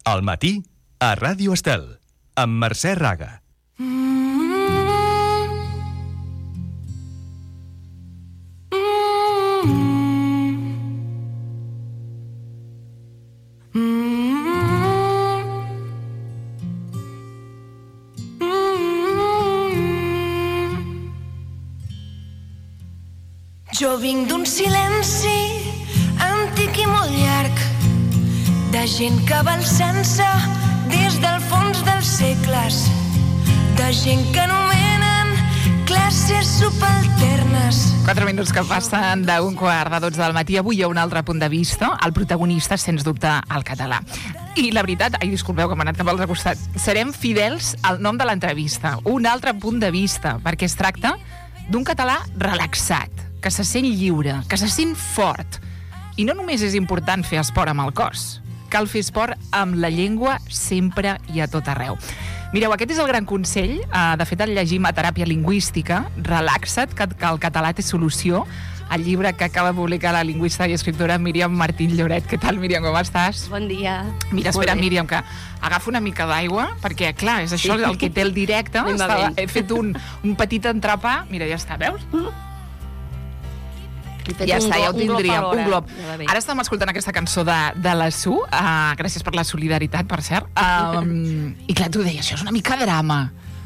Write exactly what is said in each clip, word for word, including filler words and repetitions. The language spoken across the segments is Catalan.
Al matí, a Ràdio Estel, amb Mercè Raga. Jo vinc d'un silenci antic i molt llarg, de gent que va alçant-se des del fons dels segles, de gent que anomenen classes subalternes. Quatre minuts que passen d'un quart de dotze del matí. Avui hi ha un altre punt de vista. El protagonista, sens dubte, el català. I la veritat, ai, disculpeu que m'ha anat cap al costat, serem fidels al nom de l'entrevista. Un altre punt de vista, perquè es tracta d'un català relaxat, que se sent lliure, que se sent fort. I no només és important fer esport amb el cos, cal fer esport amb la llengua sempre i a tot arreu. Mireu, aquest és el gran consell, de fet el llegim a Teràpia Lingüística, Relaxa't, que el català té solució, el llibre que acaba de publicar la lingüista i escriptora Míriam Martín Lloret. Què tal, Míriam, com estàs? Bon dia. Mira, espera, Míriam, que agafa una mica d'aigua, perquè, clar, és això el que té el directe. Estava, he fet un, un petit entrepà. Mira, ja està, veus? Ja està, ja ho tindríem, un glob. Ara estem escoltant aquesta cançó de, de la Su, uh, gràcies per la solidaritat, per cert. Um, I clar, tu deies, això és una mica drama.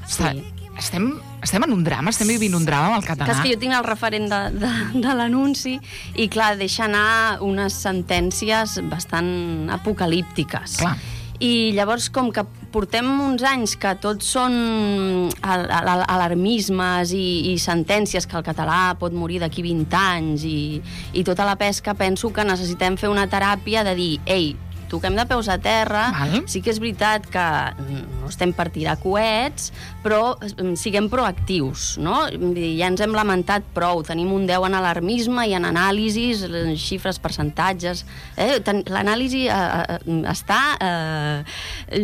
Sí. Estem, estem en un drama, estem vivint un drama amb el català. Que és que jo tinc el referent de, de, de l'anunci i, clar, deixa anar unes sentències bastant apocalíptiques. Clar. I llavors, com que portem uns anys que tots són alarmismes i, i sentències que el català pot morir d'aquí vint anys i, i tota la pesca, penso que necessitem fer una teràpia de dir, ei, toquem de peus a terra, Val. Sí que és veritat que no estem per tirar coets, però siguem proactius, no? Ja ens hem lamentat prou, tenim un deu en alarmisme i en anàlisis, xifres, percentatges. Eh? L'anàlisi eh, està eh,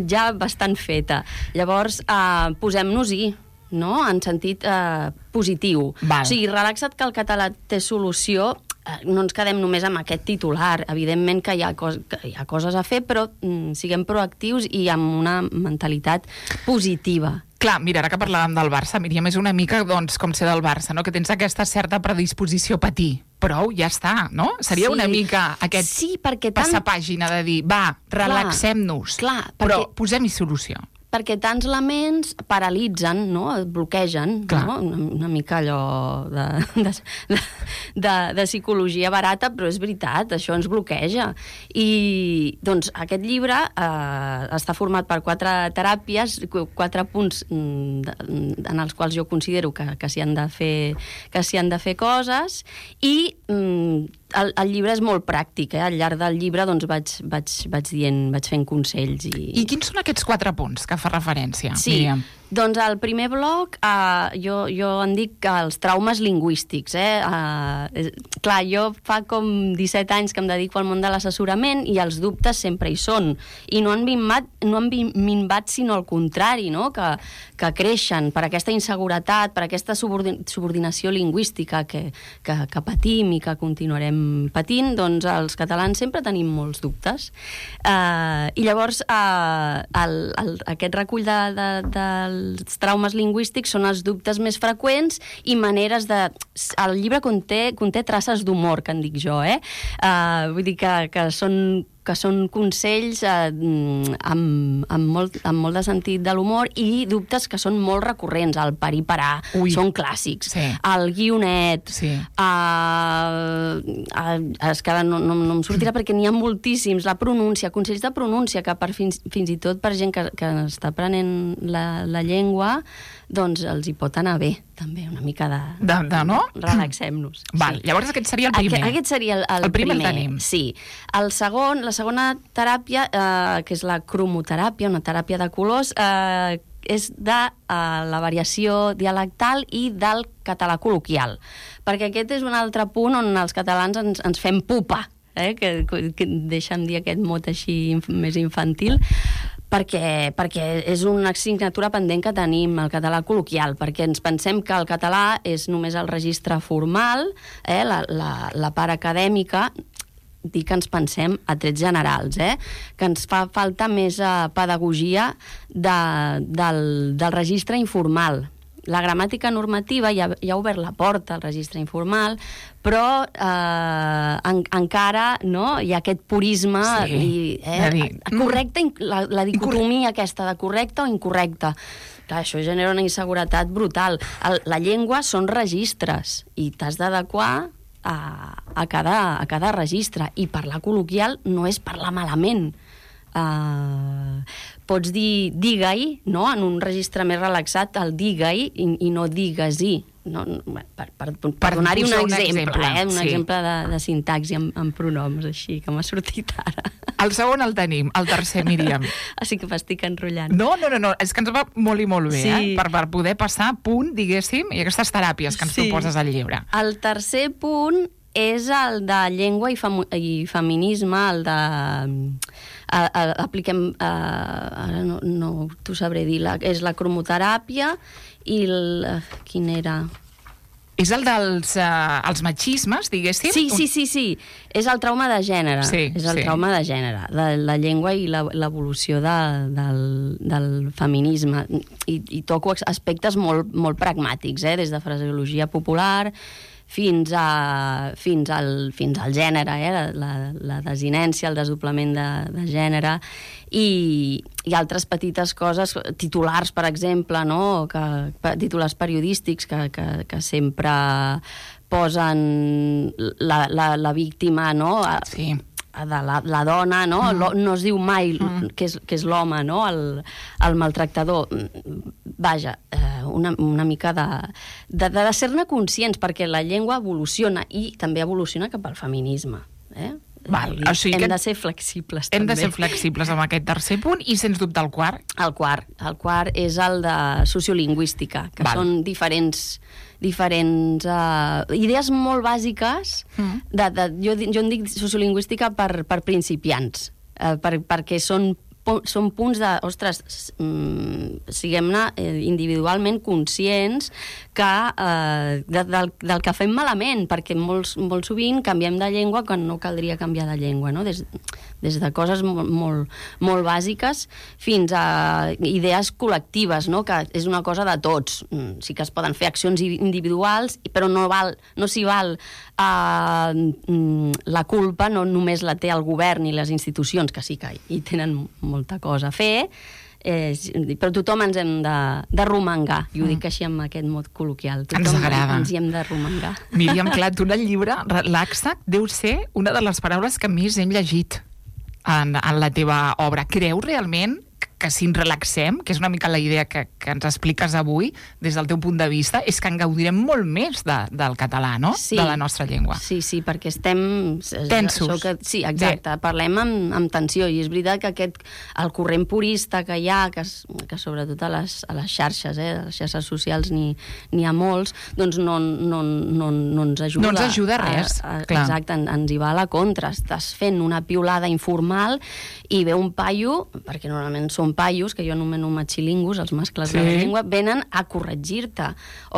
ja bastant feta. Llavors, eh, posem-nos-hi, no? En sentit eh, positiu. Val. O sigui, relaxa't que el català té solució. No ens quedem només amb aquest titular. Evidentment que hi ha, cos, que hi ha coses a fer, però mm, siguem proactius i amb una mentalitat positiva. Clar, mira, ara que parlàvem del Barça, Míriam, és una mica doncs, com ser del Barça, no? Que tens aquesta certa predisposició a patir. Prou, ja està, no? Seria sí. una mica aquest sí, perquè tant... passar pàgina de dir, va, relaxem-nos, clar, clar, però perquè... posem-hi solució. Perquè tants laments paralitzen, no? Bloquegen, no? Una, una mica allò de, de, de, de psicologia barata, però és veritat, això ens bloqueja. I doncs aquest llibre eh, està format per quatre teràpies, quatre punts de, en els quals jo considero que, que s'hi han de fer, que s'hi han de fer coses, i mm, el, el llibre és molt pràctic, eh? Al llarg del llibre doncs, vaig, vaig, vaig dient, vaig fent consells. I... I quins són aquests quatre punts que fa referència, sí, Míriam? Doncs el primer bloc, eh, jo, jo en dic els traumes lingüístics. Eh? Eh, clar, jo fa com disset anys que em dedico al món de l'assessorament i els dubtes sempre hi són. I no han minvat, no han minvat sinó al contrari, no? que, que creixen per aquesta inseguretat, per aquesta subordinació lingüística que, que, que patim i que continuarem patint. Doncs els catalans sempre tenim molts dubtes. Eh, I llavors eh, el, el, aquest recull de, de, del els traumes lingüístics són els dubtes més freqüents i maneres de... El llibre conté, conté traces d'humor, que en dic jo, eh? Uh, vull dir que, que són... que són consells eh, amb, amb, molt, amb molt de sentit de l'humor i dubtes que són molt recurrents. El parir-parar són clàssics. Sí. El guionet. Sí. Eh, eh, és que no, no, no em sortirà perquè n'hi ha moltíssims. La pronúncia, consells de pronúncia, que per fins, fins i tot per gent que, que està aprenent la, la llengua, doncs els hi pot anar bé, també, una mica de... De, de no? Relaxem-nos. Val, sí. Llavors aquest seria el primer. Aquest, aquest seria el, el, el primer. primer. El tenim. Sí. El segon, la segona teràpia, eh, que és la cromoteràpia, una teràpia de colors, eh, és de eh, la variació dialectal i del català col·loquial. Perquè aquest és un altre punt on els catalans ens, ens fem pupa, eh, que, que deixa'm dir aquest mot així inf, més infantil, perquè, perquè és una assignatura pendent que tenim, el català col·loquial, perquè ens pensem que el català és només el registre formal, eh, la, la, la part acadèmica, dir que ens pensem a trets generals, eh? Que ens fa falta més uh, pedagogia de, del, del registre informal. La gramàtica normativa ja, ja ha obert la porta al registre informal, però eh, en, encara no, hi ha aquest purisme, sí, i, eh, dir, correcte, la, la dicotomia aquesta de correcte o incorrecte. Clar, això genera una inseguretat brutal. El, la llengua són registres i t'has d'adequar a, a, cada, a cada registre. I parlar col·loquial no és parlar malament. Uh, pots dir digue-hi, no? En un registre més relaxat, el digue-hi i, i no digues-hi. No, per, per, per, per donar-hi un, un exemple, exemple, eh? un sí. exemple de, de sintaxi amb, amb pronoms, així, que m'ha sortit ara. El segon el tenim, el tercer, Míriam. Així que m'estic enrotllant. No, no, no, no, és que ens va molt i molt bé, sí. eh? Per, per poder passar punt, diguéssim, i aquestes teràpies que ens sí. proposes al llibre. El tercer punt és el de llengua i, fem, i feminisme, el de... A, a, apliquem... A, ara no, no t'ho sabré dir, la, és la cromoteràpia i el... Quin era? És el dels uh, els machismes, diguéssim? Sí, sí, sí, sí. És el trauma de gènere. Sí, és el sí. trauma de gènere, de la llengua i l'evolució de, del, del feminisme. I, i toco aspectes molt, molt pragmàtics, eh? Des de fraseologia popular fins, a, fins, al, fins al gènere, eh? la, la, la desinència, el desdoblament de, de gènere, i, i altres petites coses, titulars, per exemple, no? que, titulars periodístics que, que, que sempre posen la, la, la víctima, no? Sí. de la, la dona, no? Mm. No es diu mai mm. que és, que és l'home, no? El, el maltractador. Vaja, una, una mica de, de, de ser-ne conscients, perquè la llengua evoluciona i també evoluciona cap al feminisme. Eh? Val, o sigui hem que de ser flexibles, hem també. de ser flexibles amb aquest tercer punt i, sens dubte, el quart. El quart. El quart és el de sociolingüística, que Val. són diferents diferents uh, idees molt bàsiques mm. de, de, jo, jo en dic sociolingüística per, per principiants, uh, per, perquè són, són punts de, ostres, mm, siguem-ne eh, individualment conscients que, uh, de, del, del que fem malament, perquè molts, molt sovint canviem de llengua quan no caldria canviar de llengua, no? Des, des de coses molt, molt, molt bàsiques fins a idees col·lectives, no? Que és una cosa de tots. Sí que es poden fer accions individuals, però no, val, no s'hi val uh, la culpa, no només la té el govern i les institucions, que sí que hi tenen molta cosa a fer, eh, però tothom ens hem de, de romangar, i ho dic així amb aquest mot col·loquial. Tothom ens agrada. Ens hi hem de romangar. Míriam, clar, tu en el llibre, relaxa't, deu ser una de les paraules que més hem llegit en, en la teva obra. Creus realment que si ens relaxem, que és una mica la idea que, que ens expliques avui, des del teu punt de vista, és que en gaudirem molt més de, del català, no? Sí, de la nostra llengua. Sí, sí, perquè estem... Tensos. Que, sí, exacte, de... parlem amb, amb tensió, i és veritat que aquest, el corrent purista que hi ha, que, que sobretot a les, a les xarxes, eh, a les xarxes socials n'hi ha molts, doncs no, no, no, no ens ajuda. No ens ajuda res, a, a, clar. Exacte, en, ens hi va a la contra. Estàs fent una piulada informal i ve un paio, perquè normalment són paios, que jo anomeno machilingus, els mascles sí. de la llengua, venen a corregir-te.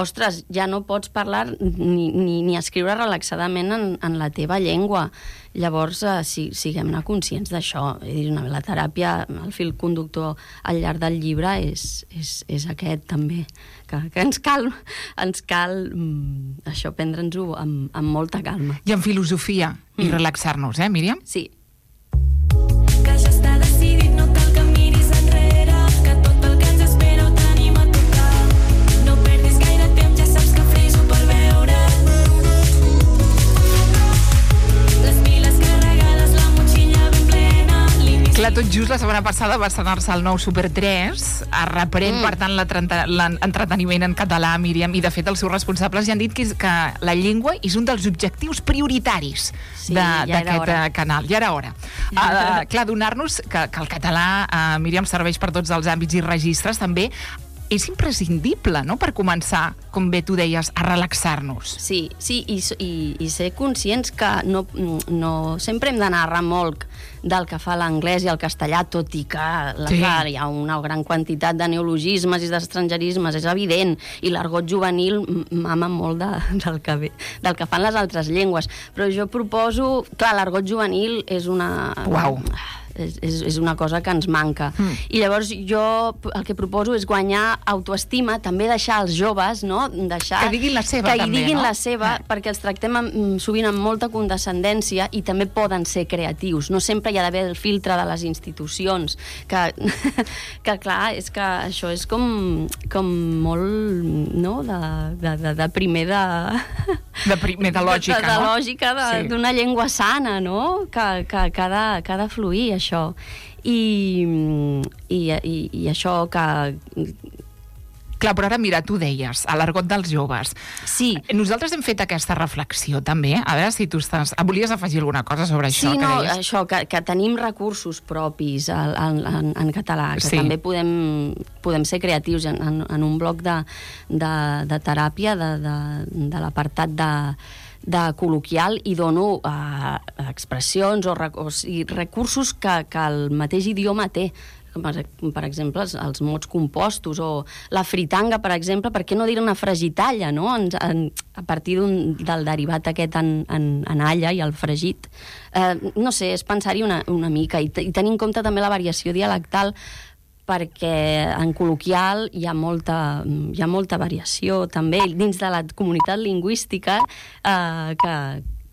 Ostres, ja no pots parlar ni, ni, ni escriure relaxadament en, en la teva llengua. Llavors, eh, si, siguem-ne conscients d'això. La teràpia, el fil conductor al llarg del llibre és, és, és aquest, també. Que, que ens cal, ens cal mm, això, prendre'ns-ho amb, amb molta calma. I amb filosofia, mm. i relaxar-nos, eh, Míriam? Sí. Que ja està decidit, no cal que miris enrere, que tot el que ens espera ho tenim a tocar. No perdis gaire temps, ja saps que friso per veure. Les piles carregades, la motxilla ben plena. Clar, tot just la setmana passada va estrenar-se el nou Super tres, es reprèn, mm. per tant, l'entreteniment en català, Míriam, i de fet els seus responsables ja han dit que, és, que la llengua és un dels objectius prioritaris sí, d'aquest ja canal. Ja era hora. Uh, clar, donar-nos que, que el català, uh, Míriam, serveix per tots els àmbits i registres, també és imprescindible, no?, per començar, com bé tu deies, a relaxar-nos. Sí, sí, i, i, i ser conscients que no, no sempre hem d'anar a remolc del que fa l'anglès i el castellà, tot i que la, Sí. clar, hi ha una gran quantitat de neologismes i d'estrangerismes, és evident, i l'argot juvenil mama molt de, del, que ve, del que fan les altres llengües. Però jo proposo... Clar, l'argot juvenil és una... Uau. És, és, és una cosa que ens manca. Mm. I llavors jo el que proposo és guanyar autoestima, també deixar els joves, no? Deixar, que diguin la seva, que també, diguin no? la seva, eh. perquè els tractem amb, sovint amb molta condescendència i també poden ser creatius. No sempre hi ha d'haver el filtre de les institucions, que, que clar, és que això és com, com molt, no?, de, de, de, de primer de... De primer de lògica, de, de, de no? lògica Sí. d'una sí. llengua sana, no?, que, que, que, ha de, que ha de fluir, això. I, i, i, i això que... Clar, però ara mira, tu deies, a l'argot dels joves. Sí. Nosaltres hem fet aquesta reflexió, també. A veure si tu estàs... Volies afegir alguna cosa sobre això Sí, que no, deies? això, que, que tenim recursos propis en, en, en català, que Sí. també podem, podem ser creatius en, en, en un bloc de, de, de teràpia de, de, de l'apartat de, de col·loquial i dono uh, expressions o, rec o sigui, recursos que, que el mateix idioma té. Per, per exemple, els, els mots compostos o la fritanga, per exemple, per què no dir una fregitalla, no?, en, en, a partir del derivat aquest en, en, en alla i el fregit. Eh, no sé, és pensar-hi una, una mica i, i tenir en compte també la variació dialectal, perquè en col·loquial hi ha molta, hi ha molta variació també dins de la comunitat lingüística eh, que,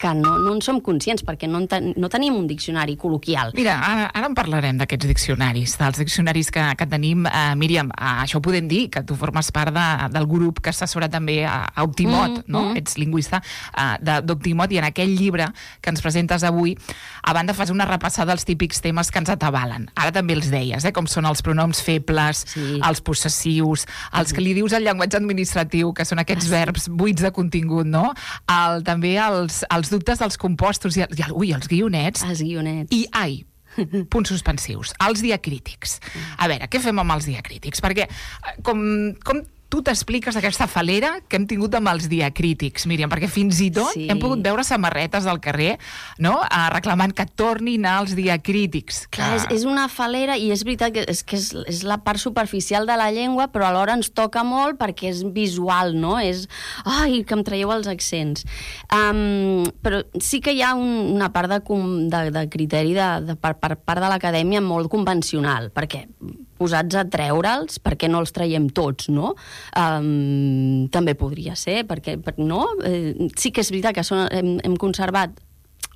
que no, no en som conscients perquè no, en ten, no tenim un diccionari col·loquial. Mira, ara, ara en parlarem d'aquests diccionaris, dels diccionaris que, que tenim. Uh, Míriam, uh, això ho podem dir, que tu formes part de, del grup que assessora també a, a Optimot, mm, no? Mm. Ets lingüista uh, d'Optimot, i en aquell llibre que ens presentes avui, a banda fas una repassada dels típics temes que ens atabalen. Ara també els deies, eh? Com són els pronoms febles, sí. els possessius, els que li dius al llenguatge administratiu, que són aquests ah, verbs buits de contingut, no? El, també els, els dubtes dels compostos i, i ui, els guionets. Els guionets. I, ai, punts suspensius, els diacrítics. A veure, què fem amb els diacrítics? Perquè, com, com tu t'expliques aquesta falera que hem tingut amb els diacrítics, Míriam, perquè fins i tot sí. hem pogut veure samarretes del carrer, no?, uh, reclamant que tornin als diacrítics. Clar, és, és una falera, i és veritat que, és, que és, és la part superficial de la llengua, però alhora ens toca molt perquè és visual, no? És, ai, que em traieu els accents. Um, però sí que hi ha un, una part de, de, de criteri de, de, per, per part de l'acadèmia molt convencional, perquè posats a treure'ls, perquè no els traiem tots, no? Um, també podria ser, perquè, per, no? Eh, sí que és veritat que són, hem, hem conservat,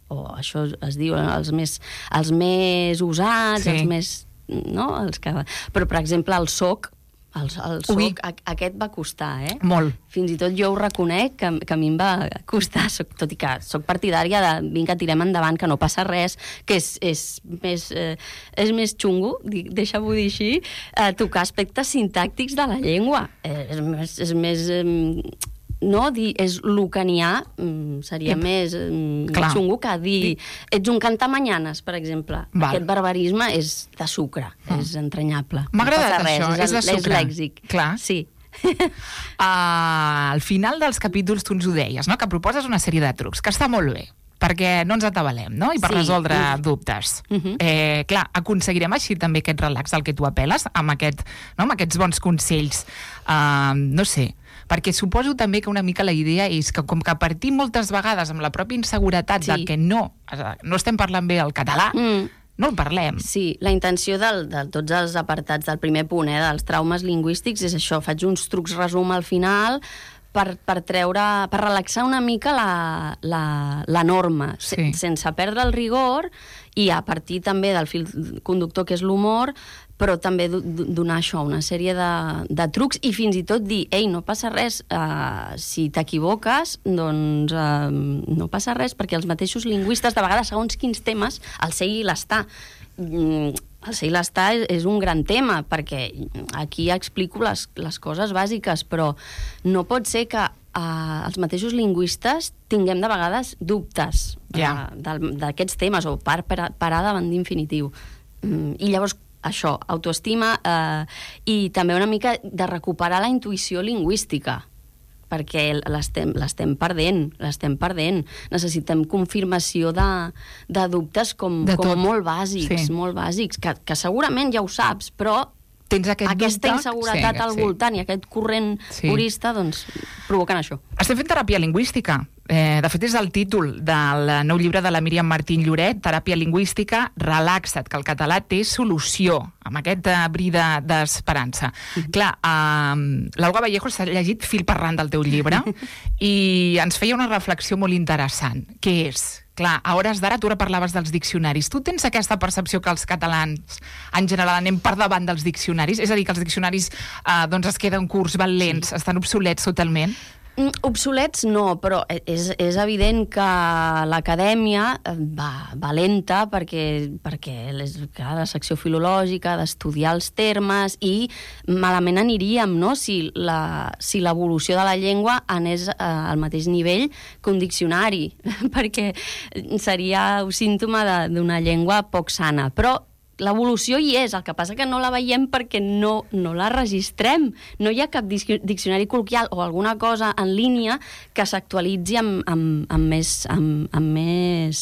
o oh, això es diu, els més, els més usats, sí. els més... no? Els que... Però, per exemple, el soc, el, el soc, a, aquest va costar, eh? Molt. Fins i tot jo ho reconec, que, que a mi em va costar, soc, tot i que soc partidària de vinga, tirem endavant, que no passa res, que és, és, més, eh, és més xungo, deixa-m'ho dir així, eh, tocar aspectes sintàctics de la llengua. Eh, és més... És més eh, no, dir és lucanià seria Ep. més Clar. xungo que dir ets un cantamanyanes, per exemple. Val. Aquest barbarisme és de sucre, mm. és entranyable. M'ha agradat no això, és, és de sucre. És lèxic. Clar. Sí. uh, al final dels capítols tu ens ho deies, no?, que proposes una sèrie de trucs, que està molt bé, perquè no ens atabalem, no?, i per sí. resoldre uh. dubtes. Uh -huh. eh, clar, aconseguirem així també aquest relax al que tu apel·les, amb, aquest, no?, amb aquests bons consells. Uh, no sé, perquè suposo també que una mica la idea és que com que partim moltes vegades amb la pròpia inseguretat sí. de que no, no estem parlant bé el català, mm. no el parlem. Sí, la intenció del, de tots els apartats del primer punt, eh, dels traumes lingüístics, és això, faig uns trucs resum al final per, per treure, per relaxar una mica la, la, la norma, sí. sen, sense perdre el rigor, i a partir també del fil conductor que és l'humor, però també donar això, una sèrie de, de trucs, i fins i tot dir, ei, no passa res, uh, si t'equivoques, doncs uh, no passa res, perquè els mateixos lingüistes, de vegades, segons quins temes, el ser i l'estar. Mm, el ser i l'estar és, és un gran tema, perquè aquí explico les, les coses bàsiques, però no pot ser que uh, els mateixos lingüistes tinguem de vegades dubtes yeah. uh, d'aquests temes, o par, parar davant d'infinitiu. Mm, I llavors això, autoestima eh, i també una mica de recuperar la intuïció lingüística, perquè l'estem, l'estem perdent, l'estem perdent. Necessitem confirmació de, de dubtes com, de com molt bàsics, sí. molt bàsics, que, que segurament ja ho saps, però tens aquest aquesta dubte, inseguretat sí, al sí. voltant i aquest corrent Sí. purista, doncs, provoquen això. Estem fent teràpia lingüística. Eh, de fet, és el títol del nou llibre de la Míriam Martín Lloret, Teràpia lingüística, relaxa't, que el català té solució, amb aquest uh, bri de- d'esperança. Mm-hmm. Clar, uh, l'Olga Vallejo s'ha llegit fil per ran del teu llibre i ens feia una reflexió molt interessant, que és, clar, a hores d'ara tu ara parlaves dels diccionaris. Tu tens aquesta percepció que els catalans, en general, anem per davant dels diccionaris? És a dir, que els diccionaris uh, doncs es queden curts, van lents, sí. estan obsolets totalment? Mm, Obsolets no, però és, és evident que l'acadèmia eh, va, va lenta perquè, perquè les, clar, la secció filològica d'estudiar els termes i malament aniríem, no?, si la, si l'evolució de la llengua anés eh, al mateix nivell que un diccionari, perquè seria un símptoma de- d'una llengua poc sana. Però l'evolució hi és, el que passa que no la veiem perquè no, no la registrem. No hi ha cap diccionari col·loquial o alguna cosa en línia que s'actualitzi amb, amb, amb més... Amb, amb més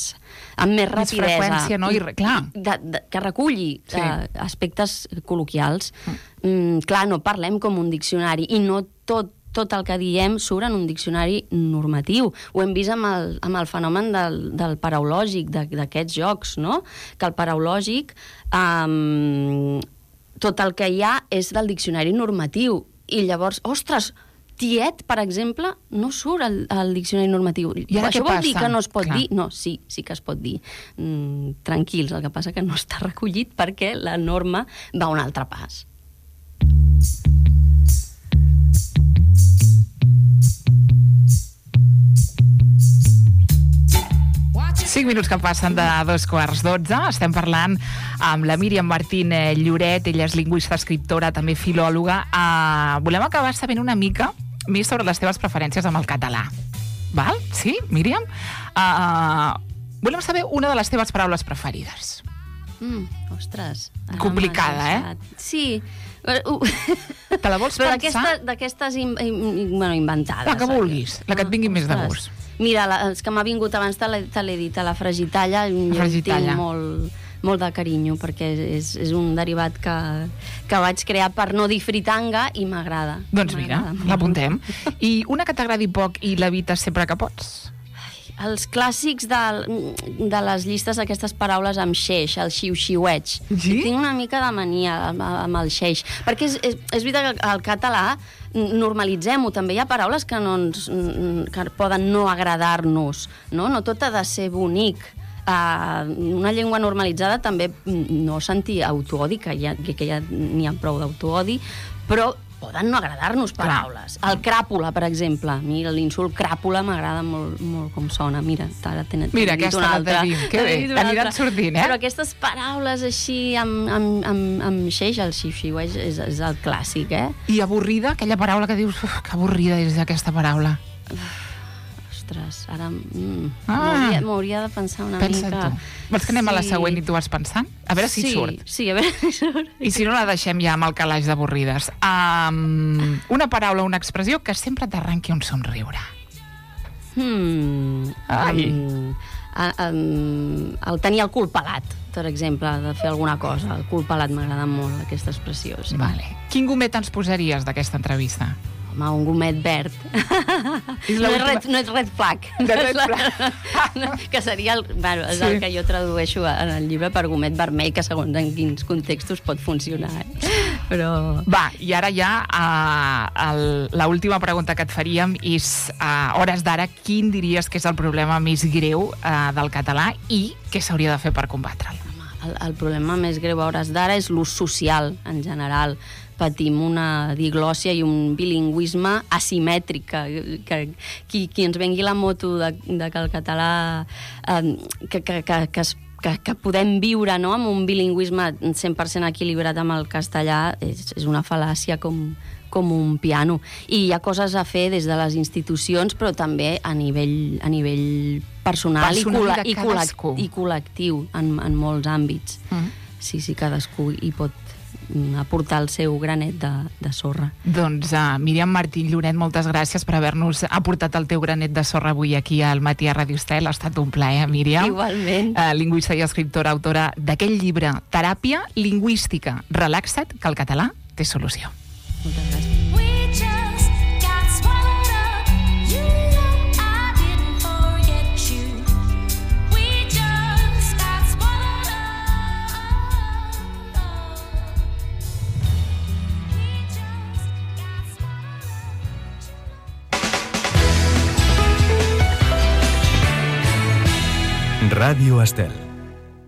amb més rapidesa. Més freqüència, no? I, clar. De, de, que reculli Sí. eh, aspectes col·loquials. Mm, clar, no parlem com un diccionari i no tot tot el que diem surt en un diccionari normatiu. Ho hem vist amb el, amb el fenomen del, del paraulògic, d'aquests jocs, no? Que el paraulògic, um, tot el que hi ha és del diccionari normatiu. I llavors, ostres, tiet, per exemple, no surt al, al diccionari normatiu. I ara Això què vol dir passa? que no es pot Clar. dir? No, sí, sí que es pot dir. Mm, tranquils, el que passa que no està recollit perquè la norma va un altre pas. Cinc minuts que passen de dos quarts dotze. Estem parlant amb la Míriam Martín Lloret. Ella és lingüista, escriptora, també filòloga. Uh, volem acabar sabent una mica més sobre les teves preferències amb el català. Val? Sí, Míriam? Uh, volem saber una de les teves paraules preferides. Mm, ostres. ara Complicada, m'has eh? deixat. Sí. Uh, Te la vols Però pensar? d'aquesta- d'aquestes in, in, bueno, inventades. La que vulguis, la que et vingui més de Ostres. gust. Mira, la, els que m'ha vingut abans te l'he te l'he dit, a la fragitalla, jo fragitalla. tinc molt, molt de carinyo, perquè és, és un derivat que, que vaig crear per no dir fritanga i m'agrada. Doncs mira, M'agrada molt. l'apuntem. I una que t'agradi poc i l'evites sempre que pots? Els clàssics de, de les llistes d'aquestes paraules amb xeix, el xiu-xiueig. Sí? Tinc una mica de mania amb, amb el xeix. Perquè és, és, és veritat que el català, normalitzem-ho, també hi ha paraules que, no ens, que poden no agradar-nos, no? No tot ha de ser bonic. Uh, una llengua normalitzada també no sentir autoodi, que ja, que ja n'hi ha prou d'autoodi, però poden no agradar-nos paraules. El cràpula, per exemple. A mi l'insult cràpula m'agrada molt, molt com sona. Mira, ara tenen Mira, dit aquesta una la altra. tenim. Que bé, T'he dit una aniran altra. sortint, eh? Però aquestes paraules així amb, amb, amb, amb xeix, el xiu-xiueig, és, és el clàssic, eh? I avorrida, aquella paraula que dius, uf, que avorrida és aquesta paraula. Ostres, ara mm, Ah. m'hauria m'hauria de pensar una Pensa mica. tu. Vols que anem a la Sí. següent i tu vas pensant? A veure si sí, surt. Sí, a veure si surt. I si no, la deixem ja amb el calaix d'avorrides. Um, una paraula, una expressió que sempre t'arranqui un somriure. Hmm, Ai. um, a, um, el tenir el cul pelat, per exemple, de fer alguna cosa. El cul pelat m'agrada molt, aquesta expressió. Sí. Vale. Quin gomet ens posaries d'aquesta entrevista? Home, un gomet verd. És No és, l'última- red, no és red flag. De red No, que seria el, bueno, és Sí. el que jo tradueixo en el llibre per gomet vermell, que segons en quins contextos pot funcionar. Eh? Però... Va, i ara ja uh, l'última pregunta que et faríem és, a uh, hores d'ara, quin diries que és el problema més greu uh, del català i què s'hauria de fer per combatre'l? El, el problema més greu a hores d'ara és l'ús social, en general. Patim una diglòssia i un bilingüisme asimètric, que, que qui, qui ens vengui la moto de, de que el català eh, que, que, que, que, es, que, que podem viure, no?, amb un bilingüisme cent per cent equilibrat amb el castellà és, és una fal·làcia com, com un piano. I hi ha coses a fer des de les institucions, però també a nivell, a nivell personal, Personal i, col·le de i, col·lec cadascú. i col·lectiu en, en molts àmbits. Mm. sí, sí, cadascú hi pot aportar el seu granet de, de sorra. Doncs uh, Míriam Martín Lloret, moltes gràcies per haver-nos aportat el teu granet de sorra avui aquí al Matí a Ràdio Estel. Ha estat un plaer, Míriam. Igualment. Uh, lingüista i escriptora, autora d'aquell llibre Teràpia lingüística. Relaxa't, que el català té solució. Moltes gràcies. Ràdio Estel.